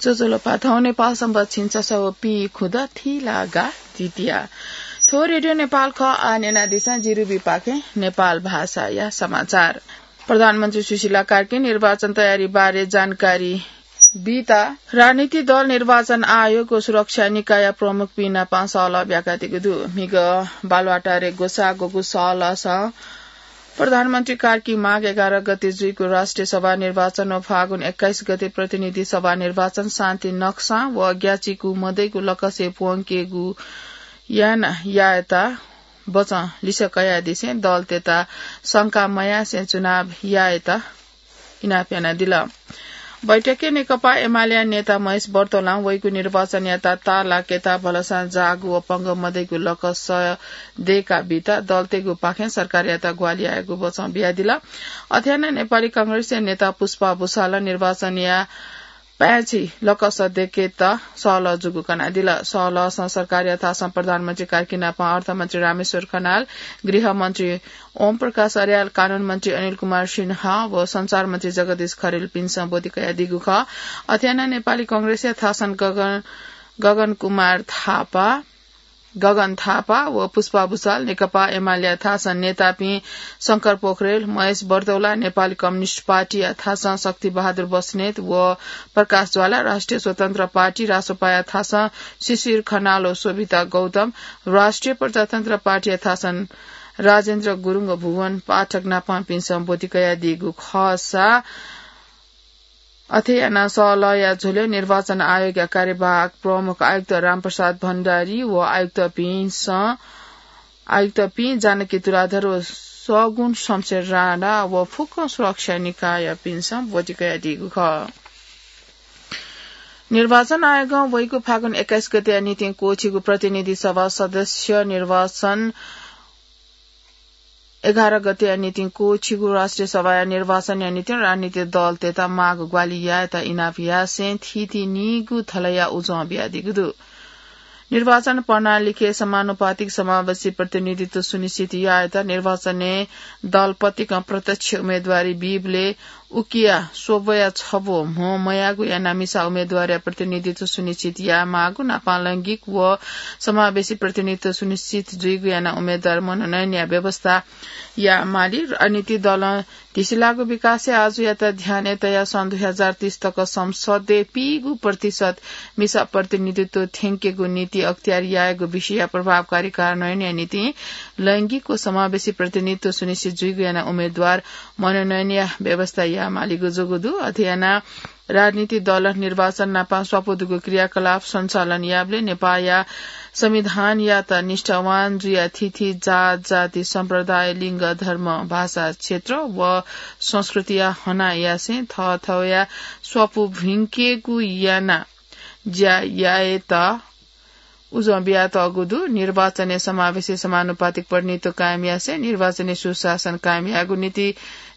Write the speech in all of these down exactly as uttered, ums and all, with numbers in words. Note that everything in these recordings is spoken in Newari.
ज्वजलपा, थौं नेपाल संवत् झिंछसः व पीखुदँ थिलागा द्वितीया। थ्व रेडियो नेपाल खः। आः न्यनादिसँ जिरुबीपाखें नेपाल भाषाया समाचार। प्रधानमन्त्री सुशीला कार्की निर्वाचन तयारी बारे जानकारी बीत राजनीतिक दल, निर्वाचन आयोग व सुरक्षा निकाय प्रमुखपिं नाप सहलह ब्याकादीगु दु। म्हिगः बालुवाटारय् ग्वसाः ग्वःगु सहलहसं प्रधानमन्त्री कार्की माघ एघार गते जुइगु राष्ट्रिय सभा निर्वाचन व फागुन एक्काइस गते प्रतिनिधि सभा निर्वाचन शान्ति नक्सां व ग्याचिकु मदइगु लकसय् प्वंकेगु याना यायेत बचं लिसे कयादिसें दलतय्त शंका मयासें चुनाव यायेत इनाप यानादिल। बैठकय् नेकपा एमालेया नेता महेश बर्तोलां वइगु निर्वाचनयात ताःलाकेत भलसां जाःगु व पंगः मदइगु लकस दय्का बीत दलतय्गु पाखें सरकारयात ग्वाहालि यायेगु बचं बियादिल। अथे यानाः नेपाली कांग्रेसया नेता पुष्पा भुसालं निर्वाचनया पाय्छि लकस दय्केत सहलह जूगु कनादिल। सहलहसं सरकारया थासं प्रधानमन्त्री कार्की नाप अर्थमन्त्री रामेश्वर खनाल, गृहमन्त्री ओम प्रकाश अर्याल, कानून मन्त्री अनिल कुमार सिन्हा व संचार मन्त्री जगदीश खरेलपिन्सं ब्वति कयादीगु खः। अथे यानाः नेपाली कांग्रेसया थासं गगन, गगन कुमार थापा, गगन थापा व पुष्पा भुसाल, नेकपा एमालेया थासं नेतापिं शंकर पोखरेल, महेश बर्तौला, नेपाली कम्युनिस्ट पार्टीया थासं शक्ति बहादुर बस्नेत व प्रकाश ज्वाला, राष्ट्रिय स्वतन्त्र पार्टी रासोपाया थासं शिशिर खनाल व शोभिता गौतम, राष्ट्रिय प्रजातन्त्र पार्टीया थासं राजेन्द्र गुरुङ व भुवन पाठक नापंपिन्सं ब्वति कयादीगु खःसा अथे यानाः सहलहया झ्वलय् निर्वाचन आयोगया कार्यवाहक प्रमुख आयुक्त रामप्रसाद भण्डारी व आयुक्तपिन्सं, आयुक्तपिं जानकी तुलाधर व सगुण शमशेर राणा व फुक्क सुरक्षा निकायपिन्सं ब्वति कयादीगु खः। निर्वाचन आयोगं वइगु फागुन एक्काइस गतेया निंतिं क्वःछिगु प्रतिनिधि सभा सदस्य निर्वाचन एघार गतेया निंतिं क्वःछिगु राष्ट्रिय सभाया निर्वाचनया निंतिं राजनीतिक दलतय्त माःगु ग्वाहालि यायेत इनाप यासें थीथी नीगू थलया उजं बियादीगु दु। निर्वाचन प्रणालीके समानुपातिक समावेशी प्रतिनिधित्व सुनिश्चित यायेत निर्वाचनय् दलपतिकं प्रत्यक्ष उम्मेदवारी बीबलय् उकिया स्वब्वया छब्व म्हो मयाःगु यानाः मिसा उम्मेदवारया प्रतिनिधित्व सुनिश्चित यायेमाःगु, नापं लैंगिक व समावेशी प्रतिनिधित्व सुनिश्चित जुइगु यानाः उम्मेदवार मनोनयनया व्यवस्था यायेमाली। राजनीतिक दलं धिसिलाःगु विकासय् आजुयात ध्यानय् तयाः सन् दुई हजार तीस तक संसदय् पीगू प्रतिशत मिसा प्रतिनिधित्व थ्यंकेगु नीति अख्तियार यायेगु विषयया प्रभावकारी कार्यान्वयनया निंतिं लैंगिक व समावेशी प्रतिनिधित्व सुनिश्चित जुइगु यानाः उम्मेदवार मनोनयनया व्यवस्था यायेमालीगु जूगु दु। अथे यानाः राजनीतिक दलं निर्वाचन नापं स्वापू दुगु क्रियाकलाप सञ्चालन याबलय् नेपाःया संविधानयात निष्ठावान जुयाः थीथी जात, जाति, सम्प्रदाय, लिङ्ग, धर्म, भाषा, क्षेत्र व संस्कृतिया हना यासें थःथःया स्वापू भिंकेगु यानाः ज्या यायेत उजं बियातःगु दु। निर्वाचनय् समावेशी समानुपातिक प्रतिनिधित्व कायम यासें निर्वाचनय् सुशासन कायम यायेगु निंतिं,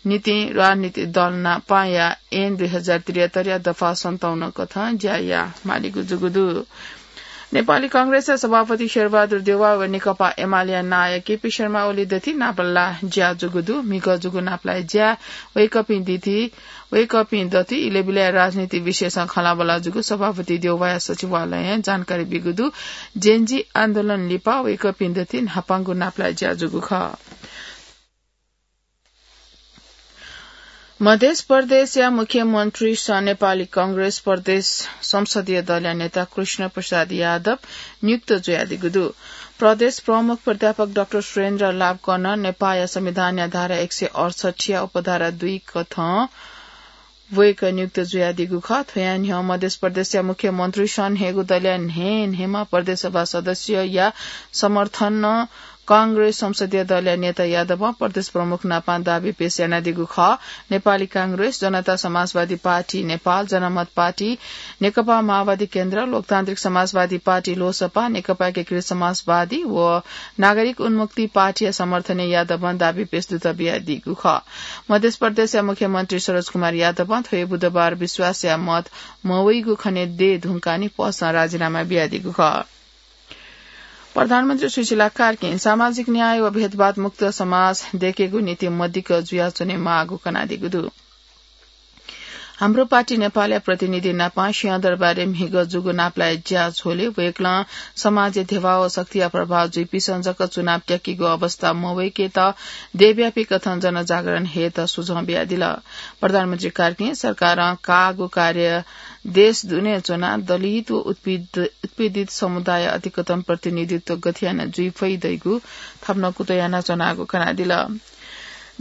निंतिं राजनीतिक दल नापंया ऐन दुई हजार त्रिहत्तरया दफा सन्ताउन्न कथं ज्या यायेमालीगु जूगु दु। नेपाली कांग्रेसया सभापति शेरबहादुर देउवा व नेकपा एमालेया नायः केपी शर्मा ओली दथुइ नापलाः ज्या जूगु दु। म्हिगः जूगु नापलाः ज्या वय्कःपिं दथुइ वय्कःपिं दथुइ इलय् बिलय् राजनीतिक विषयसं खँल्हाबल्हा जूगु सभापति देउवाया सचिवालयं जानकारी ब्यूगु दु। जेनजी आन्दोलन लिपा वय्कःपिं दथुइ न्हापांगु नापलाः ज्या जूगु खः। मध्य प्रदेशया मुख्यमन्त्रीसं नेपाली कांग्रेस प्रदेश संसदीय दलया नेता कृष्ण प्रसाद यादव नियुक्त जुयादीगु दु। प्रदेश प्रमुख प्राध्यापक डाक्टर सुरेन्द्र लाभकनं नेपाःया संविधानया धारा एक सय अठसट्ठीया उपधारा दुई कथं वय्कः नियुक्त जुयादीगु खः। थ्वयां न्ह्यः मध्य प्रदेशया मुख्यमन्त्रीसं न्हय्गू दलया न्हय् न्हय्म्ह प्रदेश सभा सदस्यया समर्थनं कांग्रेस संसदीय दलया नेता यादवं प्रदेश प्रमुख नापं दाबी पेश यानादीगु खः। नेपाली कांग्रेस, जनता समाजवादी पार्टी नेपाल, जनमत पार्टी, नेकपा माओवादी केन्द्र, लोकतान्त्रिक समाजवादी पार्टी लोसपा, नेकपा एकीकृत समाजवादी व नागरिक उन्मुक्ति पार्टीया समर्थनय् यादवं दाबी पेश दुत बियादीगु खः। मध्य प्रदेशया मुख्यमन्त्री सरोज कुमार यादवं थ्व हे बुधबार विश्वासया मत मवइगु खनेदये धुंकाः निपसं राजीनामा बियादीगु खः। प्रधानमन्त्री सुशीला कार्कीं सामाजिक न्याय व भेदभाव मुक्त समाज दयेकेगु निंतिं मदिक्क जुयाच्वनेमाःगु कनादीगु दु। हाम्रो पार्टी नेपालया प्रतिनिधि नापां सिंहदरबारय् म्हिगः जूगु नापलाये ज्या झ्वलय् वय्कलं समाजय् ध्यबा व शक्तिया प्रभाव जुइपिसं जक चुनाव त्याकीगु अवस्था मवय्केत देशव्यापी कथं जनजागरण हयेत सुझाव बियादिल। प्रधानमन्त्री कार्कीं सरकारं काःगु कार्य देश दुने च्वनाः दलित व उत्पीड-, उत्पीडित समुदाय अतिकतम प्रतिनिधित्व गथे याना जुइ फइ धइगु थप नं कुतः यानाच्वनागु कनादिल।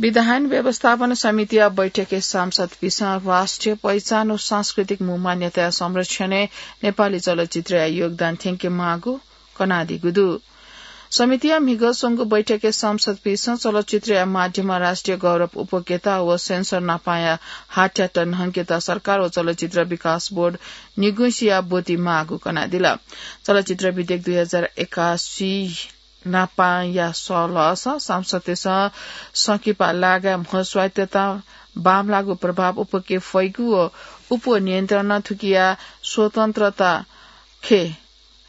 विधान व्यवस्थापन समितिया बैठकय् सांसदपिसं राष्ट्रिय पहिचान व सांस्कृतिक मू मान्यताया संरक्षणय् नेपाली चलचित्रया योगदान थ्यंके माःगु कनादीगु दु। समितिया म्हिगः स्वंगु बैठकय् सांसदपिसं चलचित्रया माध्यमं राष्ट्रिय गौरव उप्वकेत व सेन्सर नापांया हाथ्यात न्हंकेत सरकार व चलचित्र विकास बोर्ड निगुसिया ब्वति माःगु कनादिल। चलचित्र विधेयक दुई हजार एकासी नापांया सलस सांसदतय्सं संकिपा लागाय् म्ह स्वायत्तता बांमलाःगु प्रभाव उप्वके फइगु व उप्व नियन्त्रणं थुकिया स्वतन्त्रता खे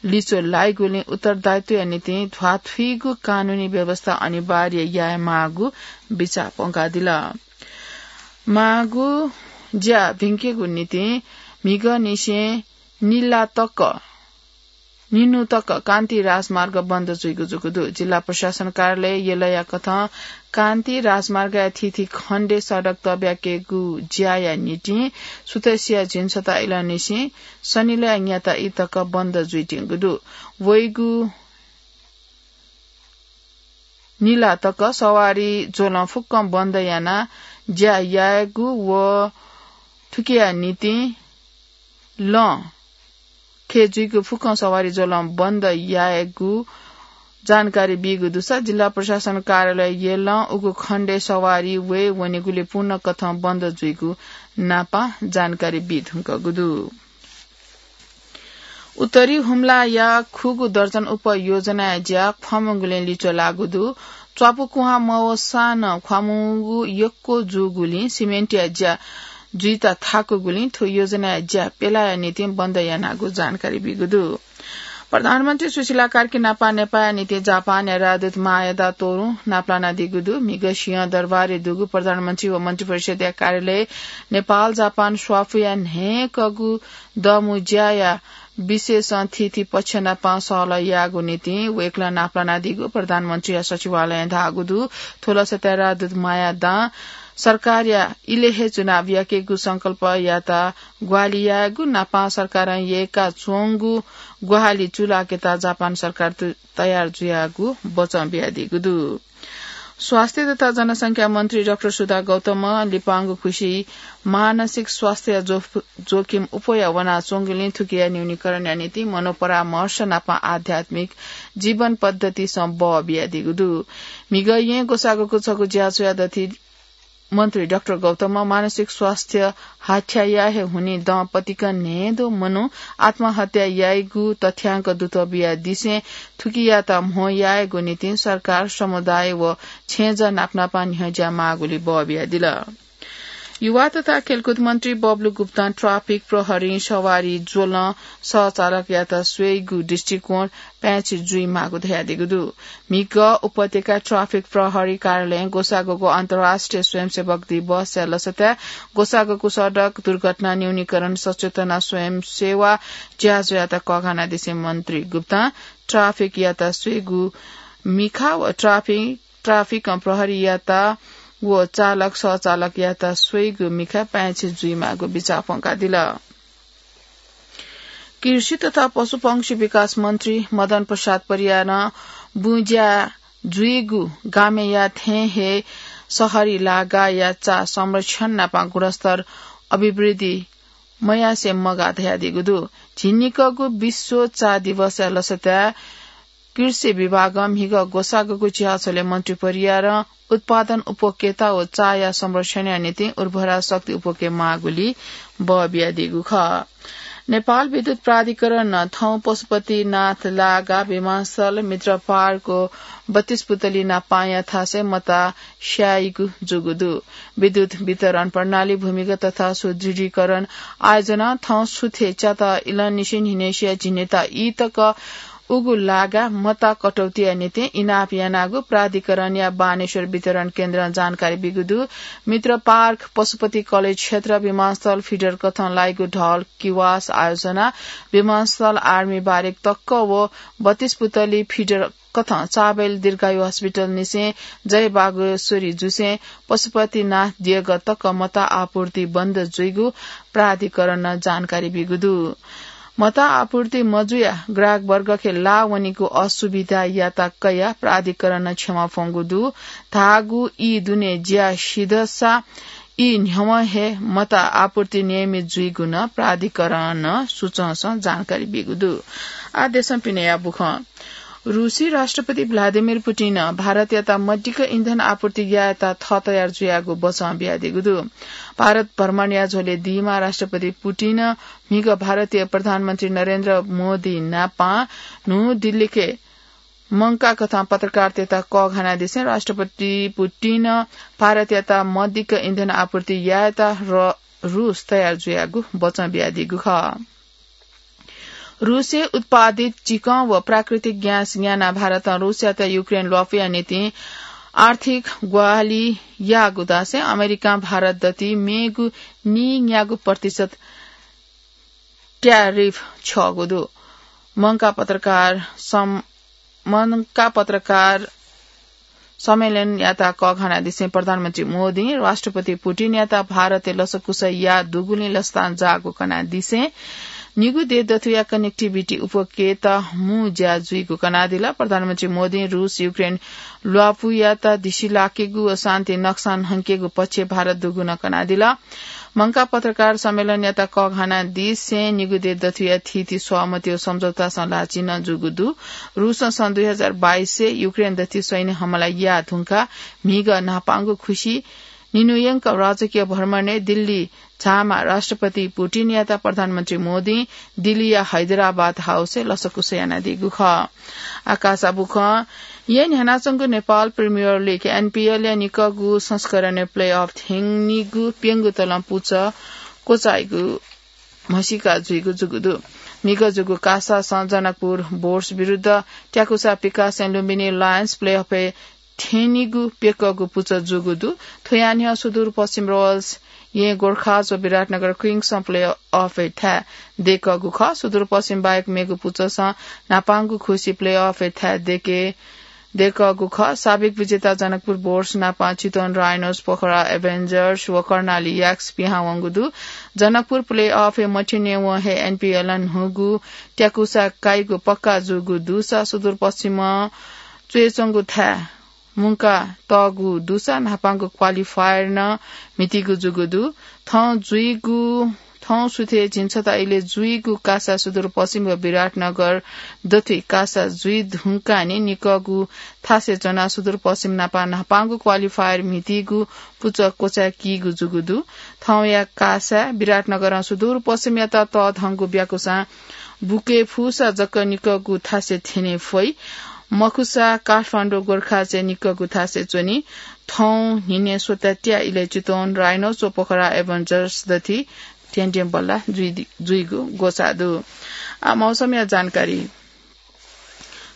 लिचो लाइगुलिं उत्तरदायित्वया निंतिं ध्वाथुइगु कानूनी व्यवस्था अनिवार्य याये माःगु बिचाः प्वंकादिल। माःगु ज्या भिंकेगु निंतिं म्हिगःनिसें निला तक, निन्हु तक कान्ति राजमार्ग बन्द जुइगु जूगु दु। जिल्ला प्रशासन कार्यालय यलया कथं कान्ति राजमार्गया थीथी खण्डय् सडक तब्याकेगु ज्याया निंतिं सुथसिया झिंछता इलंनिसें सनिलया न्याता ई तक बन्द जुइत्यंगु दु। वइगु निला तक सवारी ज्वलं फुक्कं बन्द यानाः ज्या यायेगु व थुकिया निंतिं लं खे जुइगु फुक्कं सवारी ज्वलं बन्द यायेगु जानकारी बीगु दुसा जिल्ला प्रशासन कार्यालय यलं उगु खण्डय् सवारी वये वनेगुलि पूर्ण कथं बन्द जुइगु नापां जानकारी बी धुंकूगु दु। उत्तरी हुम्लाया खुगू दर्जन उप योजनाया ज्या ख्वामुंगुलिं लिच्वः लाःगु दु। च्वापु कुहां मवसां नं ख्वामुंगु यक्व जूगुलिं सिमेन्टया ज्या जुइत थाकुगुलिं थ्व योजनाया ज्या प्यलाया निंतिं बन्द यानागु जानकारी बीगु दु। प्रधानमन्त्री सुशीला कार्की नापं नेपाःया निंतिं जापानया राजदूत मायादा तोरुं नापलानादीगु दु। म्हिगः सिंहदरबारय् दुगु प्रधानमन्त्री व मन्त्रिपरिषद्या कार्यालय नेपाल जापान स्वाफुया न्हय्कगू दमु ज्याया विषयसं थीथी पक्ष नापं सहलह यायेगु निंतिं वय्कलं नापलानादीगु प्रधानमन्त्रीया सचिवालयं धाःगु दु। थ्व लसताय् राजदूत मायादां सरकारया इलय् हे चुनाव याकेगु संकल्पयात ग्वाहालि यायेगु नापं सरकारं यय्काच्वंगु ग्वाहालि चूलाकेत जापान सरकार तयार जुयागु बचं बियादीगु दु। स्वास्थ्य तथा जनसंख्या मन्त्री डाक्टर सुधा गौतमं लिपांगु खुसि मानसिक स्वास्थ्य जो-, जोखिम उप्वया वनाच्वंगुलिं थुकिया न्यूनीकरणया निंतिं मनोपरामर्श नापं आध्यात्मिक जीवन पद्धतिसं बः बियादीगु दु। म्हिगः येँ ग्वसाःग्वःगु छगू ज्याझ्वःया दथुइ मन्त्री डाक्टर गौतमं मानसिक स्वास्थ्य हाथ्याया हे हुनिं दँ पतिकं न्हय्दँ मनू आत्महत्या याइगु तथ्यांक दुत बियादिसें थुकियात म्हो यायेगु निंतिं सरकार, समुदाय व छेँजः नापनापं न्ह्यज्या माःगुलि बः बियादिल। युवा तथा खेलकुद मन्त्री बबलु गुप्तां ट्राफिक प्रहरीं सवारी ज्वलं सह चालकयात स्वइगु दृष्टिकोण पाय्छि जुइमाःगु धयादीगु दु। म्हिगः उपत्यका ट्राफिक प्रहरी कार्यालयं ग्वसाःग्वःगु अन्तर्राष्ट्रिय स्वयंसेवक दिवसया लसताय् ग्वसाःग्वःगु सडक दुर्घटना न्यूनीकरण सचेतना स्वयंसेवा ज्याझ्वःयात कःघानादिसें मन्त्री गुप्तां ट्राफिकयात स्वइगु मिखा व ट्राफिक, ट्राफिकं प्रहरीयात व चालक सहचालकयात स्वइगु मिखा पाय्छि जुइमाःगु बिचाः प्वंकादिल। कृषि तथा पशुपंक्षी विकास मन्त्री मदन प्रसाद परियारं बुँज्या जुइगु गामेया थें हे शहरी लागाया चा संरक्षण नापं गुणस्तर अभिवृद्धि मयासें मगाः धयादीगु दु। झिंनिकःगु विश्व चा दिवसया लसताय् कृषि विभागं म्हिगः ग्वसाःग्वःगु चिहाछ्वलय् मन्त्री परियारं उत्पादन उप्वकेत व चाया संरक्षणया निंतिं उर्वरा शक्ति उप्वके माःगुलि बः बियादीगु खः। नेपाल विद्युत प्राधिकरणं थौं पशुपतिनाथ लागा विमानस्थल मित्रपारको बत्तीस पुतली नापांया थासय् मता स्याइगु जूगु दु। विद्युत वितरण प्रणाली भूमिगत तथा सुदृढीकरण आयोजनां थौं सुथय् च्यात इलंनिसें न्हिनय्सिया झिंनिता ई तक उगु लागा मता कटौतीया निंतिं इनाप यानागु प्राधिकरणया बानेश्वर वितरण केन्द्रं जानकारी बीगु दु। मित्र पार्क, पशुपति कलेज क्षेत्र, विमानस्थल फिडर कथं लाइगु ढल किवास आयोजना, विमानस्थल आर्मी बारेक तक्क व बत्तीस पुतली फिडर कथं चाबेल दीर्घायु हस्पिटल निसें जय बागेश्वरी जुसें पशुपतिनाथ देगः तक मता आपूर्ति बन्द जुइगु प्राधिकरणं जानकारी बीगु दु। मता आपूर्ति मजुया ग्राहक वर्गके लाः वनीगु असुविधायात कयाः प्राधिकरणं क्षमा फ्वंगु दु। धाःगु ई दुने ज्या सिधसा ई न्ह्यवं हे मता आपूर्ति नियमित जुइगु नं प्राधिकरणं सुचंसं जानकारी बीगु दु। आः देशं पिनेया बुखँ। रूसी राष्ट्रपति भ्लादिमिर पुटिनं भारतयात मदिक्क इन्धन आपूर्ति यायेत थः तयार जुयागु बचं बियादीगु दु। भारत भ्रमणया झ्वलय् दीम्ह राष्ट्रपति पुटिनं म्हिगः भारतया प्रधानमन्त्री नरेन्द्र मोदी नापं न्हू दिल्लीके मंकाः कथं पत्रकारतय्त कःघानादिसें राष्ट्रपति पुटिनं भारतयात मदिक्क इन्धन आपूर्ति यायेत र-, रूस तयार जुयागु बचं बियादीगु खः। रूसय् उत्पादित चिकं व प्राकृतिक ग्यास न्यानाः भारतं रूसयात युक्रेन ल्वापुया निंतिं आर्थिक ग्वाहालि याःगु धासें अमेरिकां भारत दथुइ मेगु नीन्यागू प्रतिशत ट्यारिफ छ्यःगु दु। मंकाः पत्रकार सम-, मंकाः पत्रकार सम्मेलनयात कःघानादिसें प्रधानमन्त्री मोदीं राष्ट्रपति पुटिनयात भारतय् लसकुस याः दुगुलिं लसतां जाःगु कनादिसें निगू देश दथुया connectivity उपत्यकाय् मू ज्या जुइगु कनादिल। प्रधानमन्त्री मोदीं रूस युक्रेन ल्वापुयात दिसिलाकेगु व शान्ति नक्सान हंकेगु पक्षय् भारत दुगु नं कनादिल। मंकाः पत्रकार सम्मेलनयात कःघानादिसें निगू देश दथुया थीथी सहमति व सम्झौतासं ल्हाःचिं नं जूगु दु। रूसं सन् दुई हजार बाइसय् युक्रेन दथुइ सैन्य हमला याः धुंकाः म्हिगः न्हापांगु खुसि निन्हुयंक राजकीय भ्रमणय् दिल्ली झाःम्ह राष्ट्रपति पुटिनयात प्रधानमन्त्री मोदीं दिल्लीया हैदराबाद हाउसय् लसकुस यानादीगु खः। आकाश बुखँ। येँ न्ह्यानाच्वंगु नेपाल प्रिमियर लिग, एनपीएल या निकःगु संस्करणय् प्लेअफ थ्यनीगु प्यंगू तलं पुचः क्वचाइगु म्हसीका जुइगु जूगु दु। म्हिगः जूगु कासासं जनकपुर बोर्स विरुद्ध ट्याकुसा पिकासं लुम्बिनी लायन्स प्लेअफय् थ्यनीगु प्यकःगु पुचः जूगु दु। थ्वया न्ह्यः सुदूरपश्चिम रोयल्स, येँ गोर्खाज व विराटनगर क्विन्सं प्लेअफय् थाय् दय्कःगु खः। सुदूरपश्चिम बाहेक मेगु पुचःसं न्हापांगु खुसि प्लेअफय् थाय् दय्के दय्कःगु खः। साबिक विजेता जनकपुर बोर्स नापं चितवन राइनोस, पोखरा एभेन्जर्स व कर्णाली याक्स पिहां वंगु दु। जनकपुर प्लेअफय् मथ्यनेवं हे एनपीएलं न्हूगु ट्याकुसा काइगु पक्का जूगु दुसा सुदूरपश्चिमं च्वय्च्वंगु थाय् मुंका तःगु दुसा न्हापांगु क्वालिफायर नं म्हितीगु जूगु दु। थौं जुइगु, थौं सुथय् झिंछता इलय् जुइगु कासा सुदूरपश्चिम व विराटनगर दथुइ कासा जुइ धुंकाः निकःगु थासय् च्वनाः सुदूरपश्चिम नापं न्हापांगु क्वालिफायर म्हितीगु पुचः क्वचाय्कीगु जूगु दु। थौंया कासाय् विराटनगरं सुदूरपश्चिमयात तःधंगु ब्याकुसां बुके फुसा जक निकःगु थासय् थ्यने फइ। मखुसा काठमाडौं गोर्खाजय् निकःगु थासय् च्वनी। थौं न्हिनय् स्वता त्या इलय् चितवन राइनोस व पोखरा एभेन्जर्स दथुइ ध्यंध्यं बल्ला जुइ-, जुइगु ग्वसाः दु। आः मौसमया जानकारी।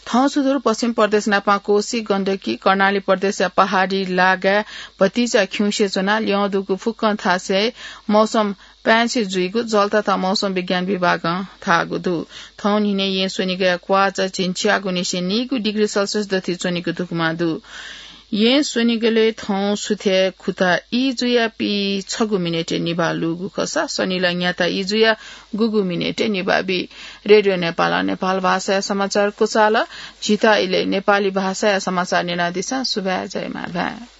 थौं सुदूरपश्चिम प्रदेश नापं कोशी, गण्डकी, कर्णाली प्रदेशया पहाडी लागाय् भतिचा खिउँसे च्वनाः ल्यं दुगु फुक्कं थासय् मौसम पाय्छि जुइगु जलतता मौसम विज्ञान विभागं धाःगु दु। थौं न्हिनय् येँ स्वनिगःया क्वाःचा झिंछ्याःगुनिसें नीगू डिग्री सेल्सियस दथुइ च्वनीगु धुकुमा दु। येँ स्वनिगलय् थौं सुथय् खुता ई जुयाः पीछगू मिनेटय् निभाः लूगु खःसा सनिला न्याता ई जुयाः गुगू मिनेटय् निभाः बी। रेडियो नेपालं नेपाल भाषाया समाचार क्वचाल। झीत इलय् नेपाली भाषाया समाचार न्यनादिसँ। सुभाय्, जय मांभाय्।